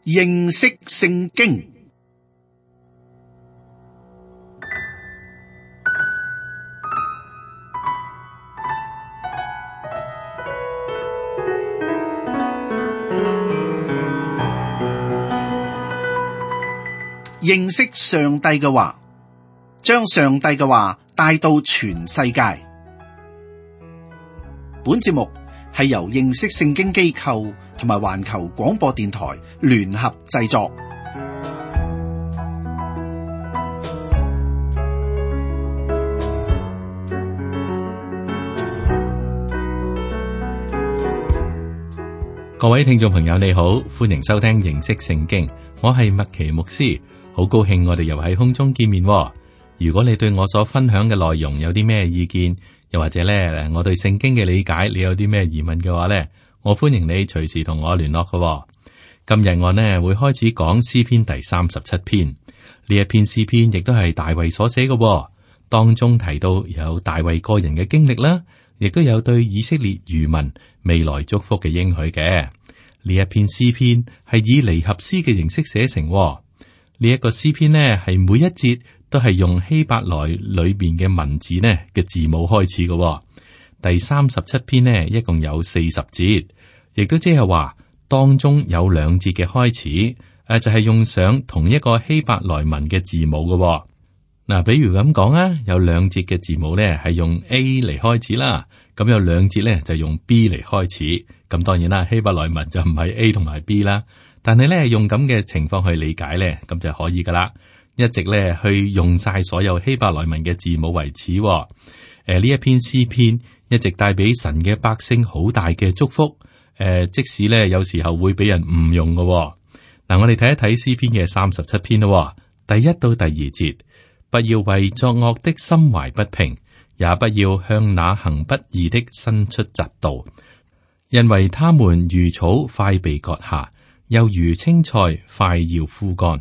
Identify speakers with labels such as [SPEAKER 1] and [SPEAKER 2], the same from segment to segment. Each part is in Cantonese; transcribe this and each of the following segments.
[SPEAKER 1] 認識聖經。認識上帝嘅話，將上帝嘅話帶到全世界。本節目係由認識聖經機構同埋環球廣播電台聯合製作。
[SPEAKER 2] 各位聽眾朋友你好，歡迎收聽認識聖經，我係麥奇牧師，好高興我哋又喺空中見面。如果你對我所分享嘅內容有啲咩意見，又或者咧我對聖經嘅理解你有啲咩疑問嘅話咧，我歡迎你隨時同我聯絡嘅。今日我呢會開始講詩篇第37篇，呢一篇詩篇亦都係大衛所寫嘅，當中提到有大衛個人嘅經歷啦，亦都有對以色列餘民未來祝福嘅應許嘅。呢一篇詩篇係以離合詩嘅形式寫成，呢一個詩篇呢係每一節都係用希伯來裏邊嘅文字呢嘅字母開始嘅。第37篇呢一共有40節，亦都即係話當中有2節嘅開始，就係用上同一個希伯來文嘅字母嘅。嗱，比如咁講啊，有2節嘅字母呢係用 A 嚟開始啦，咁有2節呢就用 B 嚟開始。咁當然啦，希伯來文就唔係 A 同埋 B 啦，但係呢用咁嘅情況去理解呢，咁就可以噶啦。一直呢去用晒所有希伯來文嘅字母為始。呢一篇詩篇一直帶俾神嘅百姓好大嘅祝福。即使呢有時候會俾人誤用嘅。嗱，我哋睇一睇詩篇嘅37篇咯。第1到第2節，不要為作惡的心懷不平，也不要向那行不義的伸出嫉妒，因為他們如草快被割下，又如青菜快要枯乾。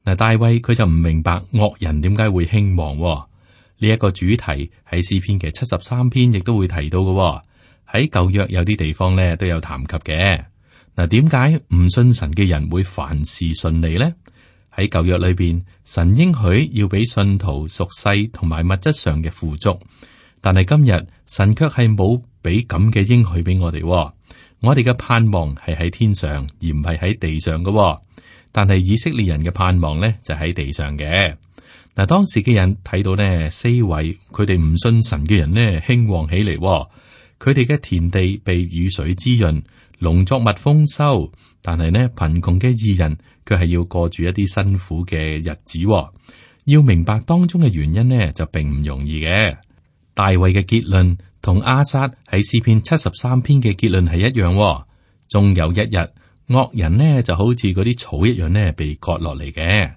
[SPEAKER 2] 嗱，大衛佢就唔明白惡人點解會興旺。呢一個主題喺詩篇嘅73篇亦都會提到嘅。喺舊約有啲地方咧都有談及嘅。嗱，點解唔信神嘅人會凡事順利呢？喺舊約裏邊，神應許要俾信徒屬世同埋物質上嘅富足，但係今日神卻係冇俾咁嘅應許俾我哋。我哋嘅盼望係喺天上，而唔係喺地上嘅。但係以色列人嘅盼望咧就喺地上嘅。嗱，當時嘅人睇到呢四圍佢哋唔信神嘅人呢興旺起嚟，佢哋嘅田地被雨水滋潤，農作物豐收，但係呢貧窮嘅義人卻係要過住一啲辛苦嘅日子。要明白當中嘅原因呢，就並唔容易嘅。大衛嘅結論同亞薩喺詩篇73篇嘅結論係一樣。終有一日，惡人呢就好似嗰啲草一樣呢被割落嚟嘅。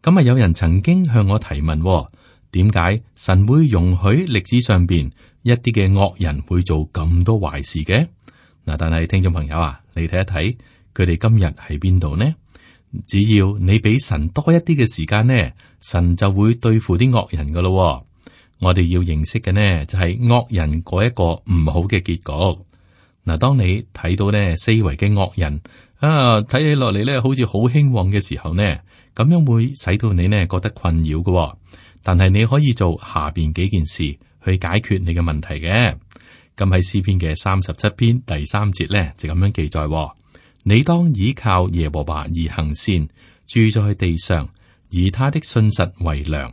[SPEAKER 2] 咁啊，有人曾經向我提問，點解神會容許歷史上邊一啲嘅惡人會做咁多壞事嘅？嗱，但係聽眾朋友啊，你睇一睇佢哋今日喺邊度呢？只要你俾神多一啲嘅時間呢，神就會對付啲惡人噶咯。我哋要認識嘅呢就係惡人嗰一個唔好嘅結局。嗱，當你睇到呢四圍嘅惡人啊，睇起落嚟咧好似好興旺嘅時候呢，咁樣會使到你呢覺得困擾嘅。但係你可以做下邊幾件事去解決你嘅問題嘅。咁喺詩篇嘅37篇第3節咧就咁樣記載：你當倚靠耶和華而行善，住在地上，以他的信實為糧。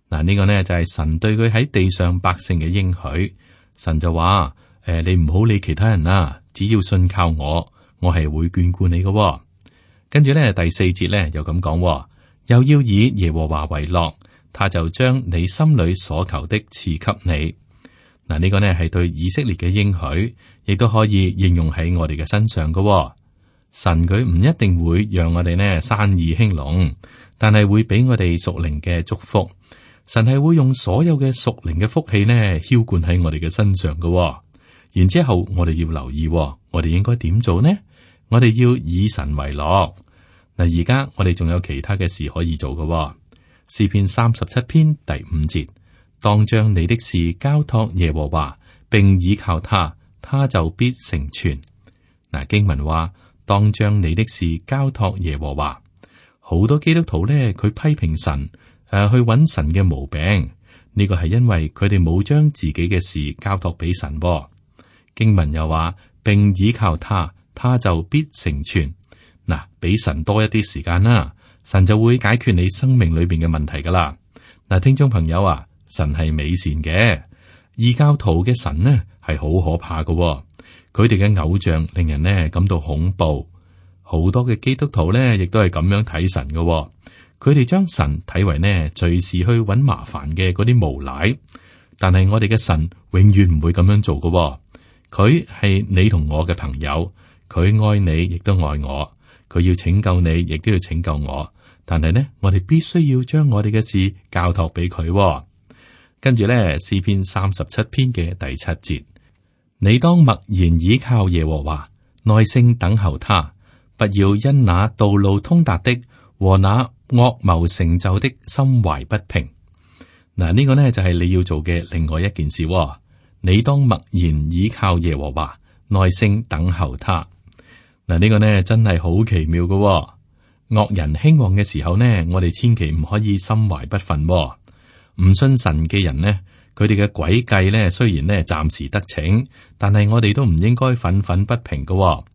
[SPEAKER 2] 嗱，呢個呢就係神對佢喺地上百姓嘅應許。神就話：你唔好理其他人啦，只要信靠我，我係會眷顧你嘅。跟住咧第4節咧又咁講：又要以耶和華為樂，他就將你心裏所求的賜給你。嗱，呢個呢係對以色列嘅應許，亦都可以應用喺我哋嘅身上嘅。神佢唔一定會讓我哋呢生意興隆，但係會俾我哋屬靈嘅祝福。神係會用所有嘅屬靈嘅福氣呢澆灌喺我哋嘅身上嘅。然之後我哋要留意，我哋應該點做呢？我哋要以神為樂。嗱，而家我哋仲有其他嘅事可以做嘅。詩篇37篇第5節，當將你的事交託耶和華，並倚靠他，他就必成全。嗱，經文話，當將你的事交託耶和華。好多基督徒咧，佢批評神，去揾神嘅毛病。呢個係因為佢哋冇將自己嘅事交託俾神。經文又話，並倚靠他，他就必成全。嗱，俾神多一啲時間啦，神就會解決你生命裏邊嘅問題噶啦。嗱，聽眾朋友啊，神係美善嘅，異教徒嘅神呢係好可怕噶。佢哋嘅偶像令人呢感到恐怖。好多嘅基督徒呢亦都係咁樣睇神噶。佢哋將神睇為呢隨時去揾麻煩嘅嗰啲無賴。但係我哋嘅神永遠唔會咁樣做噶。佢係你同我嘅朋友，佢愛你亦都愛我，佢要拯救你亦都要拯救我。但係呢，我哋必須要將我哋嘅事交託俾佢。跟住呢，詩篇37篇嘅第7節，你當默然倚靠耶和華，耐性等候他，不要因那道路通達的和那惡謀成就的心懷不平。嗱，呢個呢就係你要做嘅另外一件事。你當默然倚靠耶和華，耐性等候他。嗱，呢個呢真係好奇妙嘅。惡人興旺嘅時候呢，我哋千祈唔可以心懷不忿。唔信神嘅人呢，佢哋嘅詭計呢，雖然呢暫時得逞，但係我哋都唔應該憤憤不平嘅。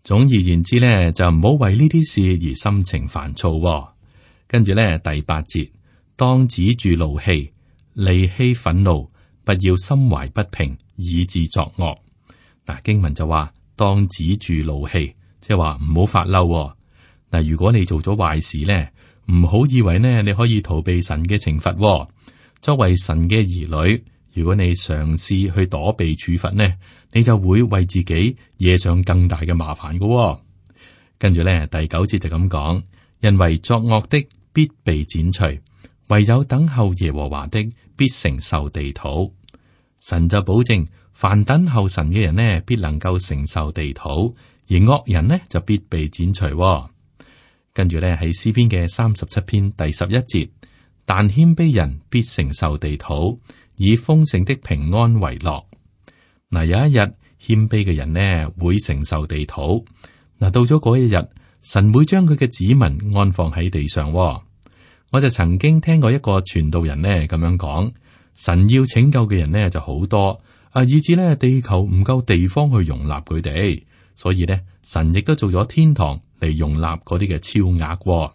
[SPEAKER 2] 總而言之呢，就唔好為呢啲事而心情煩躁。跟住呢，第8節，當止住怒氣，離棄憤怒，不要心懷不平，以致作惡。嗱，經文就話當止住怒氣，即係話唔好發嬲。嗱，如果你做咗壞事咧，唔好以為呢你可以逃避神嘅懲罰。作為神嘅兒女，如果你嘗試去躲避處罰呢，你就會為自己惹上更大嘅麻煩噶。跟住咧，第9節就咁講，因為作惡的必被剪除，唯有等候耶和華的必承受地土。神就保證，凡等候神嘅人呢，必能夠承受地土，而惡人呢就必被剪除。跟住咧，喺詩篇嘅37篇第11節，但謙卑人必承受地土，以豐盛的平安為樂。嗱，有一日謙卑嘅人呢會承受地土。嗱，到咗嗰一日，神會將佢嘅子民安放喺地上。我就曾經聽過一個傳道人呢咁樣講，神要拯救嘅人呢就好多，以至呢地球唔夠地方去容納佢哋，所以呢神亦都做咗天堂嚟容納嗰啲嘅超額。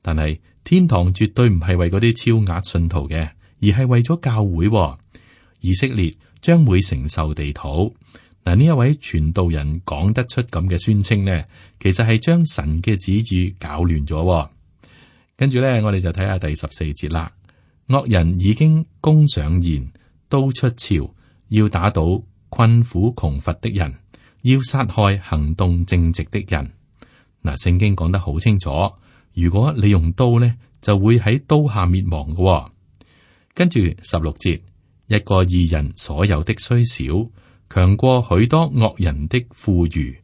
[SPEAKER 2] 但係天堂絕對唔係為嗰啲超額信徒嘅，而係為咗教會。以色列將會承受地土。嗱，呢一位傳道人講得出咁嘅宣稱呢，其實係將神嘅旨意搞亂咗。跟住咧，我哋就睇下第14節啦。惡人已經弓上弦，刀出鞘，要打倒困苦窮乏的人，要殺害行動正直的人。嗱，聖經講得好清楚，如果你用刀呢，就會喺刀下滅亡嘅。跟住16節，一個義人所有的雖少，強過許多惡人的富裕。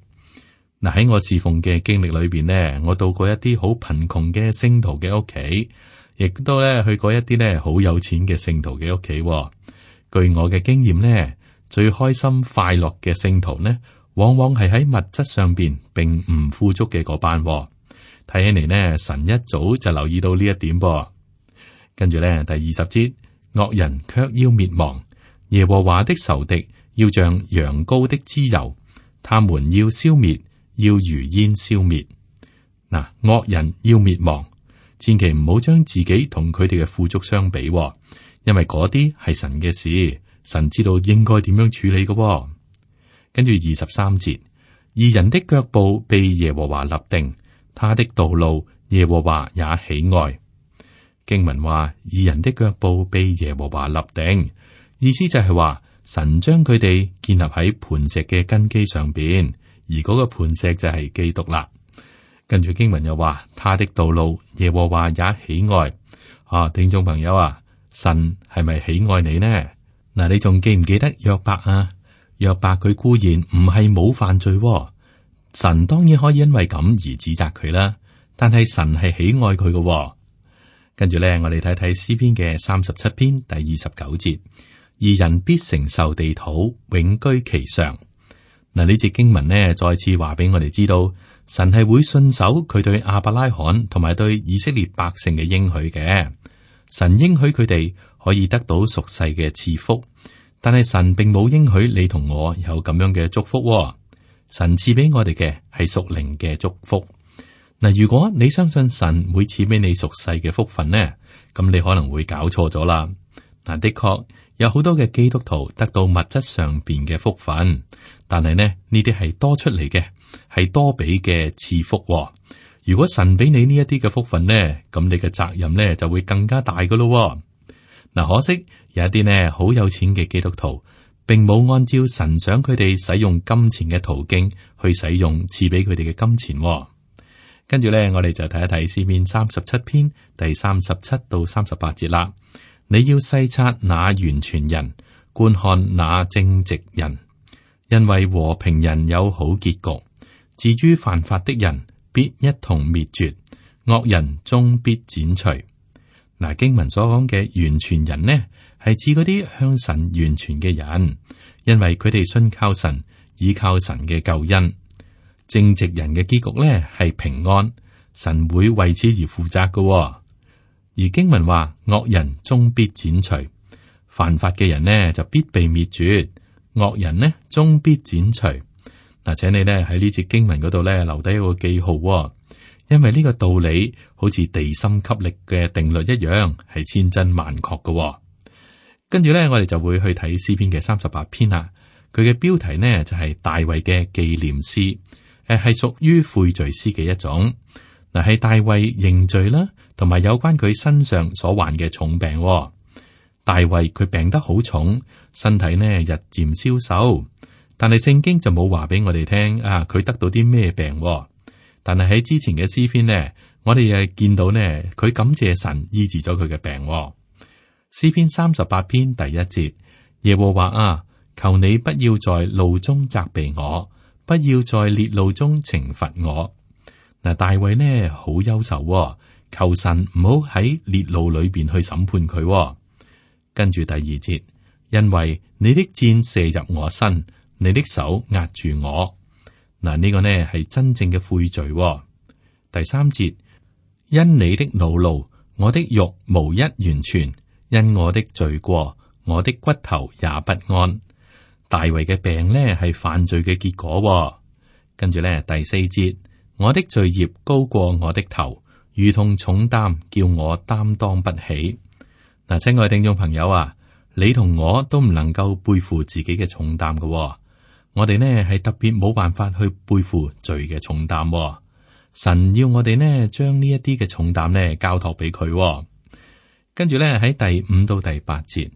[SPEAKER 2] 嗱，喺我侍奉嘅經歷裏邊呢，我到過一啲好貧窮嘅聖徒嘅屋企，亦都咧去過一啲咧好有錢嘅聖徒嘅屋企。據我嘅經驗呢，最開心快樂嘅聖徒呢，往往係喺物質上邊並唔富足嘅嗰班。睇起嚟呢，神一早就留意到呢一點噃。跟住咧，第20節，惡人卻要滅亡，耶和華的仇敵要像羊羔的脂油，他們要消滅，要如煙消滅。嗱，惡人要滅亡，千祈唔好將自己同佢哋嘅富足相比，因為嗰啲係神嘅事，神知道應該點樣處理嘅。跟住23節，義人的腳步被耶和華立定，他的道路耶和華也喜愛。經文話，義人的腳步被耶和華立定，意思就係話神將佢哋建立喺磐石嘅根基上邊，而嗰個磐石就係基督啦。跟住經文又話，他的道路耶和華也喜愛。聽眾朋友啊，神係咪喜愛你呢？嗱，你仲記唔記得約伯啊？約伯佢固然唔係冇犯罪，神當然可以因為咁而指責佢啦。但係神係喜愛佢嘅。跟住咧，我哋睇睇詩篇嘅37篇第29節，義人必承受地土，永居其上。嗱，呢節經文呢，再次話俾我哋知道，神係會信守佢對亞伯拉罕同埋對以色列百姓嘅應許嘅。神應許佢哋可以得到屬世嘅賜福，但係神並冇應許你同我有咁樣嘅祝福。神賜俾我哋嘅係屬靈嘅祝福。嗱，如果你相信神會賜俾你屬世嘅福分呢，咁你可能會搞錯咗啦。嗱，的確有好多嘅基督徒得到物質上邊嘅福分，但係呢啲係多出嚟嘅，係多俾嘅賜福。如果神俾你呢一啲嘅福分呢，咁你嘅責任呢就會更加大噶咯。嗱，可惜有一啲呢好有錢嘅基督徒，並冇按照神想佢哋使用金錢嘅途徑去使用賜俾佢哋嘅金錢。跟住呢，我哋就睇一睇詩篇37篇第37到38節啦。你要細察那完全人，觀看那正直人，因為和平人有好結局，至於犯法的人必一同滅絕，惡人終必剪除。嗱，經文所講嘅完全人呢，係指嗰啲向神完全嘅人，因為佢哋信靠神，依靠神嘅救恩。正直人嘅結局呢係平安，神會為此而負責嘅。而經文話惡人終必剪除，犯法嘅人呢就必被滅絕，惡人呢終必剪除。嗱，請你呢喺呢節經文嗰度呢留低一個記號，因為呢個道理好似地心吸力嘅定律一樣，係千真萬確嘅。跟住呢，我哋就會去睇詩篇嘅38篇啦。佢嘅標題呢就係大衛嘅紀念詩。係屬於悔罪詩嘅一種，嗱，係大衛認罪啦，同埋有關佢身上所患嘅重病。大衛佢病得好重，身體呢日漸消瘦，但係聖經就冇話俾我哋聽啊，佢得到啲咩病。但係喺之前嘅詩篇呢，我哋又見到呢，佢感謝神醫治咗佢嘅病。詩篇38篇第1節，耶和華啊，求你不要在怒中責備我，不要在烈怒中懲罰我。嗱，大衛呢好憂愁，求神唔好喺烈怒裏邊去審判佢。跟住第2節，因為你的箭射入我身，你的手壓住我。嗱，呢個呢係真正嘅悔罪。第3節，因你的惱怒，我的肉無一完全；因我的罪過，我的骨頭也不安。大衛嘅病呢係犯罪嘅結果。跟住呢第4節，我的罪孽高過我的頭，如同重擔，叫我擔當不起。嗱，親愛的聽眾朋友啊，你同我都唔能夠背負自己嘅重擔嘅。我哋呢係特別冇辦法去背負罪嘅重擔。神要我哋呢將呢一啲嘅重擔呢交託俾佢。跟住呢喺第5到第8節，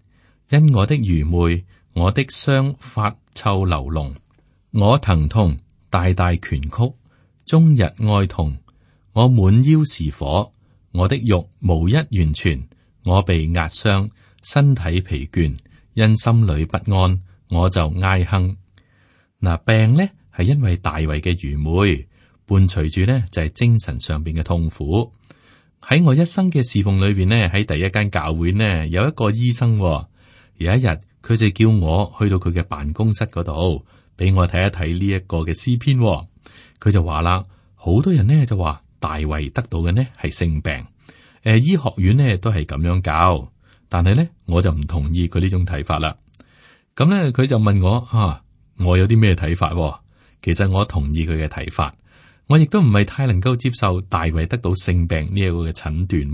[SPEAKER 2] 因我的愚昧，我的傷發臭流膿，我疼痛，大大拳曲，終日哀痛。我滿腰是火，我的肉無一完全。我被壓傷，身體疲倦，因心裏不安，我就哀哼。嗱，病呢係因為大衛嘅愚昧，伴隨住呢就係精神上邊嘅痛苦。喺我一生嘅侍奉裏邊呢，喺第一間教會呢有一個醫生，有一日佢就叫我去到佢嘅辦公室嗰度，俾我睇一睇呢一個嘅詩篇。佢就話啦，好多人呢就話大衛得到嘅呢係性病。醫學院呢都係咁樣教，但係呢我就唔同意佢呢種睇法啦。咁呢佢就問我我有啲咩睇法？其實我同意佢嘅睇法，我亦都唔係太能夠接受大衛得到性病呢一個嘅診斷。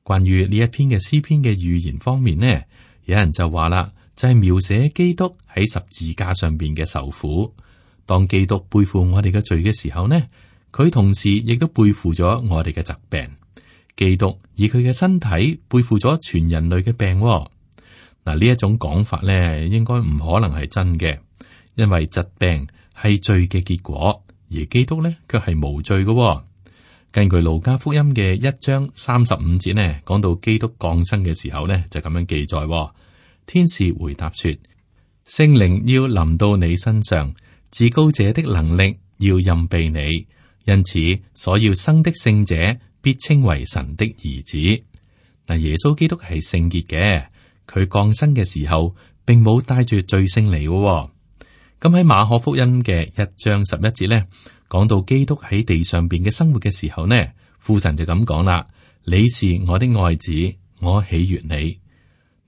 [SPEAKER 2] 關於呢一篇嘅詩篇嘅預言方面呢，有人就話啦，就係描寫基督喺十字架上邊嘅受苦。當基督背負我哋嘅罪嘅時候呢，佢同時亦都背負咗我哋嘅疾病。基督以佢嘅身體背負咗全人類嘅病。嗱，呢一種講法咧，應該唔可能係真嘅，因為疾病係罪嘅結果，而基督咧卻係無罪嘅。根據路加福音嘅1章35節呢，講到基督降生嘅時候呢，就咁樣記載：天使回答說，聖靈要臨到你身上，至高者的能力要蔭庇你，因此所要生的聖者必稱為神的兒子。嗱，耶穌基督係聖潔嘅，佢降生嘅時候並冇帶住罪性嚟嘅。咁喺馬可福音嘅1章11節咧，講到基督喺地上邊嘅生活嘅時候呢，父神就咁講啦：你是我的愛子，我喜悅你。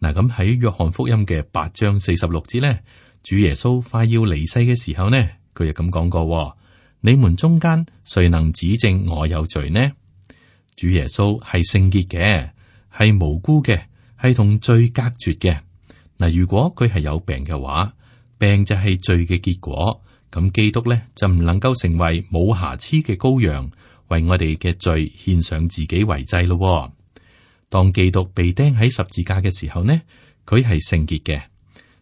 [SPEAKER 2] 嗱，咁喺約翰福音嘅8章46節咧，主耶穌快要離世嘅時候呢，佢又咁講過：你們中間誰能指證我有罪呢？主耶穌係聖潔嘅，係無辜嘅，係同罪隔絕嘅。嗱，如果佢係有病嘅話，病就係罪嘅結果，咁基督咧就唔能夠成為冇瑕疵嘅羔羊，為我哋嘅罪獻上自己為祭咯。當基督被釘喺十字架嘅時候呢，佢係聖潔嘅。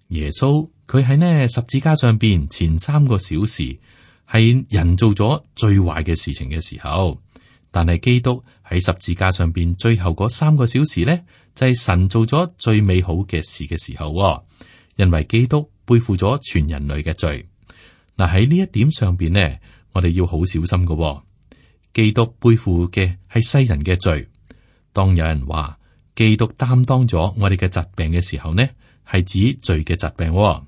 [SPEAKER 2] 耶穌佢喺呢十字架上邊前3個小時係人做咗最壞嘅事情嘅時候，但係基督喺十字架上邊最後嗰3個小時呢，就係神做咗最美好嘅事嘅時候，因為基督背負咗全人類嘅罪。嗱，喺呢一點上邊呢，我哋要好小心嘅。基督背負嘅係世人嘅罪。當有人話基督擔當咗我哋嘅疾病嘅時候呢，係指罪嘅疾病。咁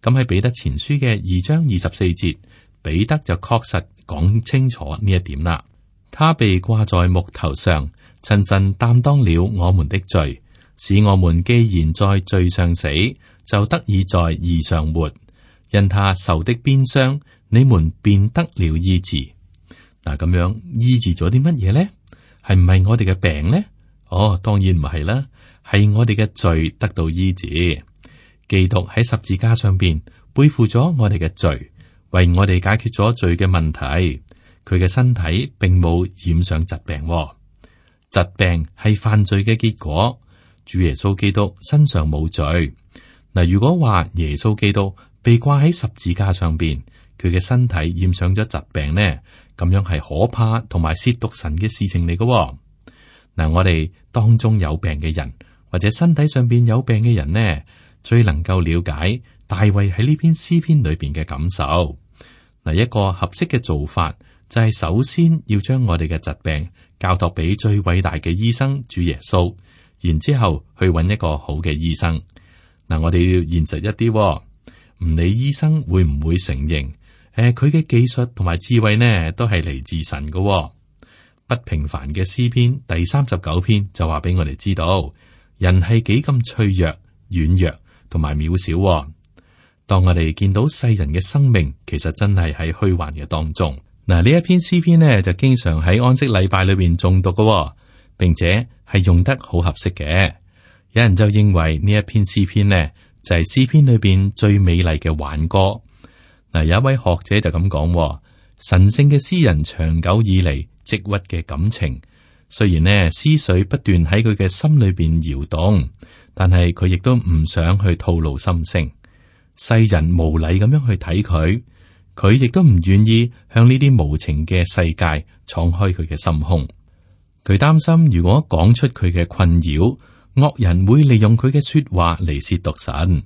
[SPEAKER 2] 喺彼得前書嘅2章24節，彼得就確實講清楚呢一點啦。他被掛在木頭上，親身擔當了我們的罪，使我們既然在罪上死，就得以在義上活。因他受的鞭傷，你們便得了醫治。嗱，咁樣醫治咗啲乜嘢呢？係唔係我哋嘅病呢？哦，當然唔係啦，係我哋嘅罪得到醫治。基督喺十字架上邊背負咗我哋嘅罪，為我哋解決咗罪嘅問題。佢嘅身體並冇染上疾病，疾病係犯罪嘅結果。主耶穌基督身上冇罪。嗱，如果話耶穌基督被掛喺十字架上邊，佢嘅身體染上咗疾病呢，咁樣係可怕同埋褻瀆神嘅事情嚟嘅。嗱，我哋當中有病嘅人，或者身體上邊有病嘅人呢，最能夠了解大衛喺呢篇詩篇裏邊嘅感受。嗱，一個合適嘅做法就係首先要將我哋嘅疾病交託俾最偉大嘅醫生主耶穌，然之後去揾一個好嘅醫生。嗱，我哋要現實一啲，唔理醫生會唔會承認，佢嘅技術同埋智慧呢，都係嚟自神嘅。不平凡嘅詩篇第39篇就話俾我哋知道，人係幾咁脆弱、軟弱同埋渺小。當我哋見到世人嘅生命，其實真係喺虛幻嘅當中。嗱，呢一篇詩篇呢，就經常喺安息禮拜裏邊誦讀嘅，並且係用得好合適嘅。有人就認為呢一篇詩篇呢，就係詩篇裏邊最美麗嘅挽歌。嗱，有一位學者就咁講，神聖嘅詩人長久以嚟積鬱嘅感情，雖然呢思緒不斷喺佢嘅心裏邊搖動，但係佢亦都唔想去吐露心聲。世人無禮咁樣去睇佢，佢亦都唔願意向呢啲無情嘅世界敞開佢嘅心胸。佢擔心如果講出佢嘅困擾，惡人會利用佢嘅說話嚟褻瀆神。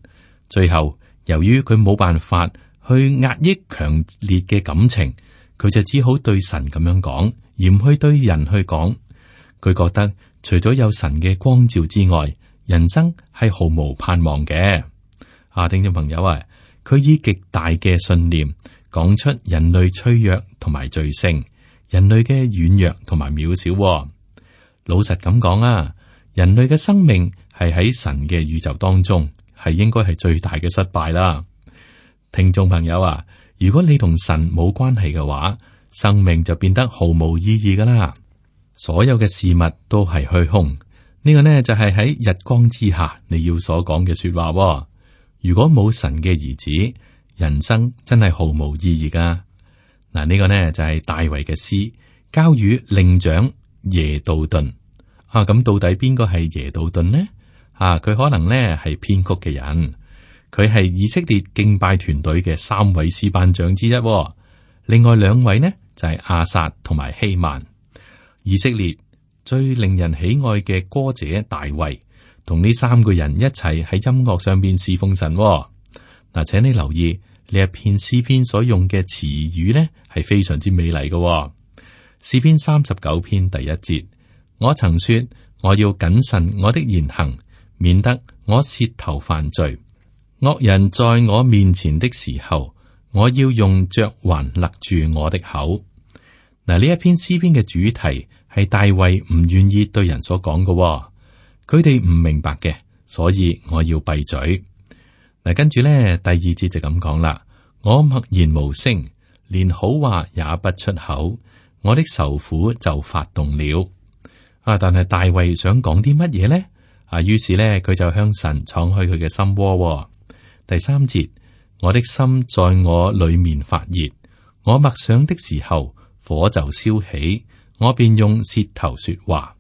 [SPEAKER 2] 最後，由於佢冇辦法去壓抑強烈嘅感情，佢就只好對神咁樣講，而唔去對人去講。佢覺得除咗有神嘅光照之外，人生係毫無盼望嘅。聽眾朋友啊，佢以極大嘅信念講出人類脆弱同埋罪性，人類嘅軟弱同埋渺小。老實咁講啊，人類嘅生命係喺神嘅宇宙當中，係應該係最大嘅失敗啦。聽眾朋友啊，如果你同神冇關係嘅話，生命就變得毫無意義噶啦。所有嘅事物都係虛空，呢個呢就係喺日光之下你要所講嘅說話。如果冇神嘅兒子，人生真係毫無意義噶。嗱，呢個呢就係大衛嘅詩，交與令長耶杜頓。咁到底邊個係耶杜頓呢？佢可能呢係編曲嘅人，佢係以色列敬拜團隊嘅3位詩班長之一。另外2位呢就係亞薩同埋希曼。以色列最令人喜愛嘅歌者大衛，同呢3個人一齊喺音樂上邊侍奉神。嗱，請你留意呢一篇詩篇所用嘅詞語呢係非常之美麗嘅。詩篇39篇第1節，我曾說我要謹慎我的言行，免得我舌頭犯罪。惡人在我面前的時候，我要用嚼環勒住我的口。嗱，呢一篇詩篇嘅主題係大衛唔願意對人所講嘅，佢哋唔明白嘅，所以我要閉嘴。嗱，跟住咧第二節就咁講啦，我默然無聲，連好話也不出口，我的愁苦就發動了。但係大衛想講啲乜嘢呢？於是咧佢就向神敞開佢嘅心窩。第三節，我的心在我裏面發熱，我默想的時候，火就燒起，我便用舌頭說話。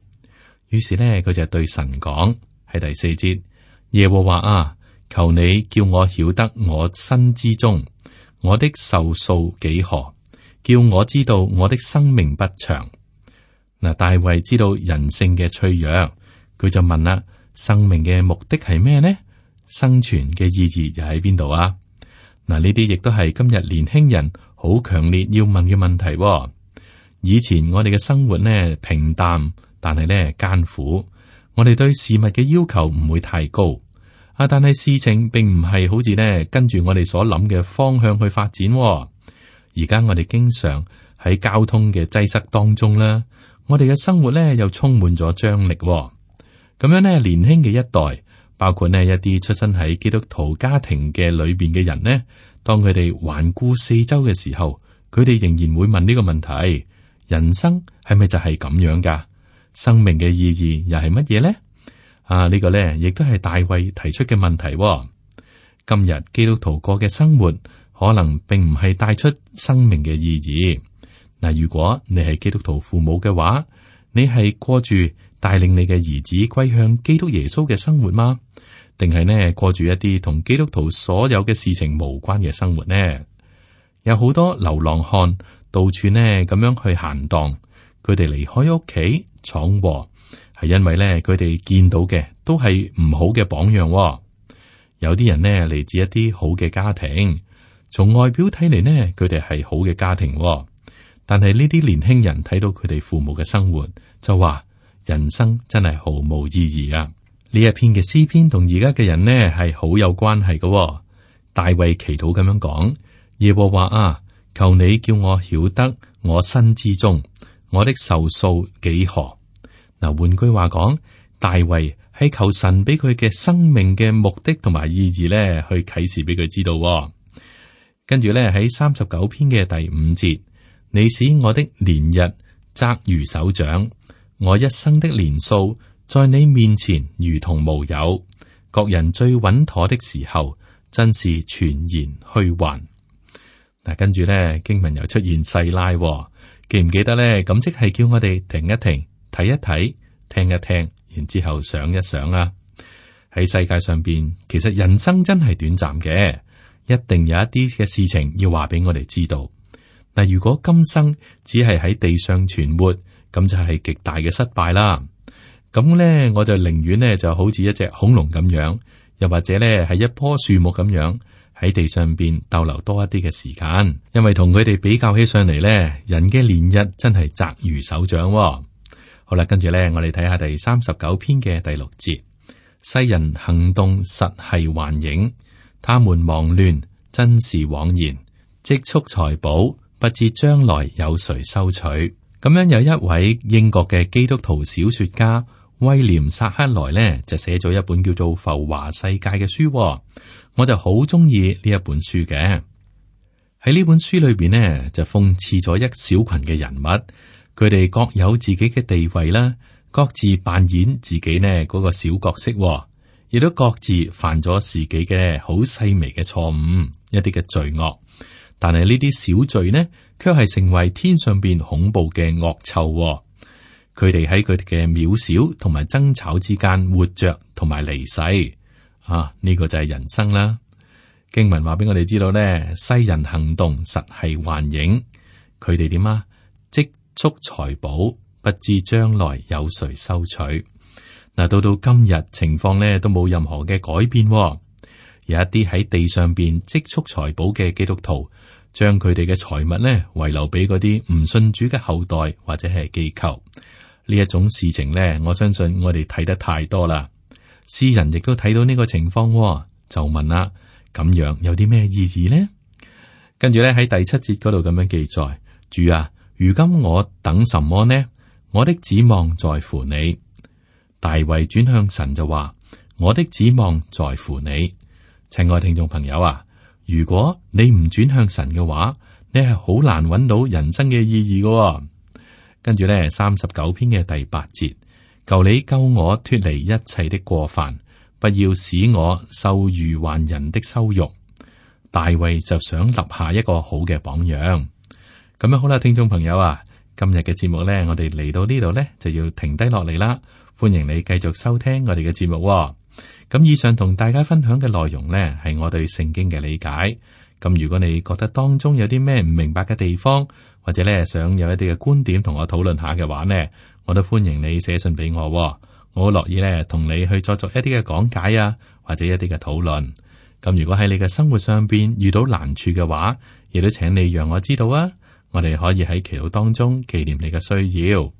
[SPEAKER 2] 於是咧佢就對神講，喺第四節，耶和華啊，求你叫我曉得我身之中，我的壽數幾何，叫我知道我的生命不長。嗱，大衛知道人性嘅脆弱，佢就問啦：生命嘅目的係咩呢？生存嘅意義又喺邊度啊？嗱，呢啲亦都係今日年輕人好強烈要問嘅問題。以前我哋嘅生活呢平淡，但係呢艱苦。我哋對事物嘅要求唔會太高，但係事情並唔係好似呢跟住我哋所諗嘅方向去發展。而家我哋經常喺交通嘅擠塞當中啦，我哋嘅生活呢又充滿咗張力。咁樣呢，年輕嘅一代，包括呢一啲出身喺基督徒家庭嘅裏邊嘅人呢，當佢哋環顧四周嘅時候，佢哋仍然會問呢個問題：人生係咪就係咁樣噶？生命嘅意義又係乜嘢呢？呢個呢亦都係大衛提出嘅問題。今日基督徒過嘅生活，可能並唔係帶出生命嘅意義。嗱，如果你係基督徒父母嘅話，你係過住帶領你嘅兒子歸向基督耶穌嘅生活嗎？定係呢過住一啲同基督徒所有嘅事情無關嘅生活呢？有好多流浪漢到處呢咁樣去閒蕩，佢哋離開屋企闖禍，係因為呢佢哋見到嘅都係唔好嘅榜樣。有啲人呢嚟自一啲好嘅家庭，從外表睇嚟呢，佢哋係好嘅家庭。但係呢啲年輕人睇到佢哋父母嘅生活，就話人生真係毫無意義啊！呢一篇嘅詩篇同而家嘅人呢係好有關係嘅。大衛祈禱咁樣講：耶和華啊，求你叫我曉得我身之中，我的壽數幾何。嗱，換句話講，大衛係求神俾佢嘅生命嘅目的同埋意義呢，去啟示俾佢知道。跟住呢，喺39篇嘅第5節，你使我的年日窄如手掌，我一生的年數在你面前如同無有。各人最穩妥的時候，真是全然虛幻。嗱，跟住呢，經文又出現細拉，記唔記得呢？咁即係叫我哋停一停，睇一睇，聽一聽，然之後想一想啊。喺世界上邊，其實人生真係短暫嘅，一定有一啲嘅事情要話俾我哋知道。嗱，如果今生只係喺地上存活，咁就係極大嘅失敗啦。咁呢，我就寧願呢就好似一隻恐龍咁樣，又或者呢係一棵樹木咁樣喺地上邊逗留多一啲嘅時間，因為同佢哋比較起上嚟呢，人嘅年日真係窄如手掌。好啦，跟住呢，我哋睇下第39篇嘅第6節，世人行動實係幻影，他們忙亂真是枉然，積蓄財寶，不知將來有誰收取。咁樣有一位英國嘅基督徒小說家威廉薩克萊呢，就寫咗一本叫做《浮華世界》嘅書，我就好中意呢一本書嘅。喺呢本書裏邊呢，就諷刺咗一小群嘅人物，佢哋各有自己嘅地位啦，各自扮演自己呢嗰個小角色，亦都各自犯咗自己嘅好細微嘅錯誤，一啲嘅罪惡。但係呢啲小罪呢，卻係成為天上邊恐怖嘅惡臭。佢哋喺佢哋嘅渺小同埋爭吵之間活着同埋離世。呢個就係人生啦。經文話俾我哋知道呢，世人行動實係幻影。佢哋點啊？積蓄財寶，不知將來有誰收取。嗱，到今日情況呢都冇任何嘅改變。有一啲喺地上邊積蓄財寶嘅基督徒，將佢哋嘅財物呢遺留俾嗰啲唔信主嘅後代或者係機構。呢一種事情呢，我相信我哋睇得太多啦。詩人亦都睇到呢個情況，就問啦：咁樣有啲咩意義呢？跟住咧喺第7節嗰度咁樣記載：主啊，如今我等什麼呢？我的指望在乎你。大衛轉向神就話：我的指望在乎你。親愛聽眾朋友啊，如果你唔轉向神嘅話，你係好難揾到人生嘅意義嘅。跟住咧39篇嘅第8節：求你救我脫離一切的過犯，不要使我受愚頑人的羞辱。大衛就想立下一個好嘅榜樣。咁樣好啦，聽眾朋友啊，今日嘅節目呢，我哋嚟到呢度呢，就要停低落嚟啦。歡迎你繼續收聽我哋嘅節目。咁以上同大家分享嘅內容呢，係我對聖經嘅理解。咁如果你覺得當中有啲咩唔明白嘅地方，或者呢想有一啲嘅觀點同我討論下嘅話呢，我都歡迎你寫信俾我。我好樂意呢同你去作一啲嘅講解啊，或者一啲嘅討論。咁如果喺你嘅生活上邊遇到難處嘅話，亦都請你讓我知道啊，我哋可以喺祈禱當中紀念你嘅需要。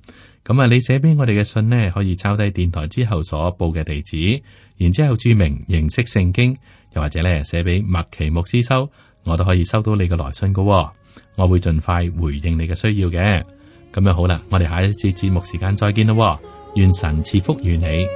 [SPEAKER 2] 咁啊，你寫俾我哋嘅信呢，可以抄低電台之後所報嘅地址，然之後注明認識聖經，又或者呢寫俾麥奇牧師收，我都可以收到你嘅來信噶。我會盡快回應你嘅需要嘅。咁樣好啦，我哋下一次節目時間再見咯。願神賜福於你。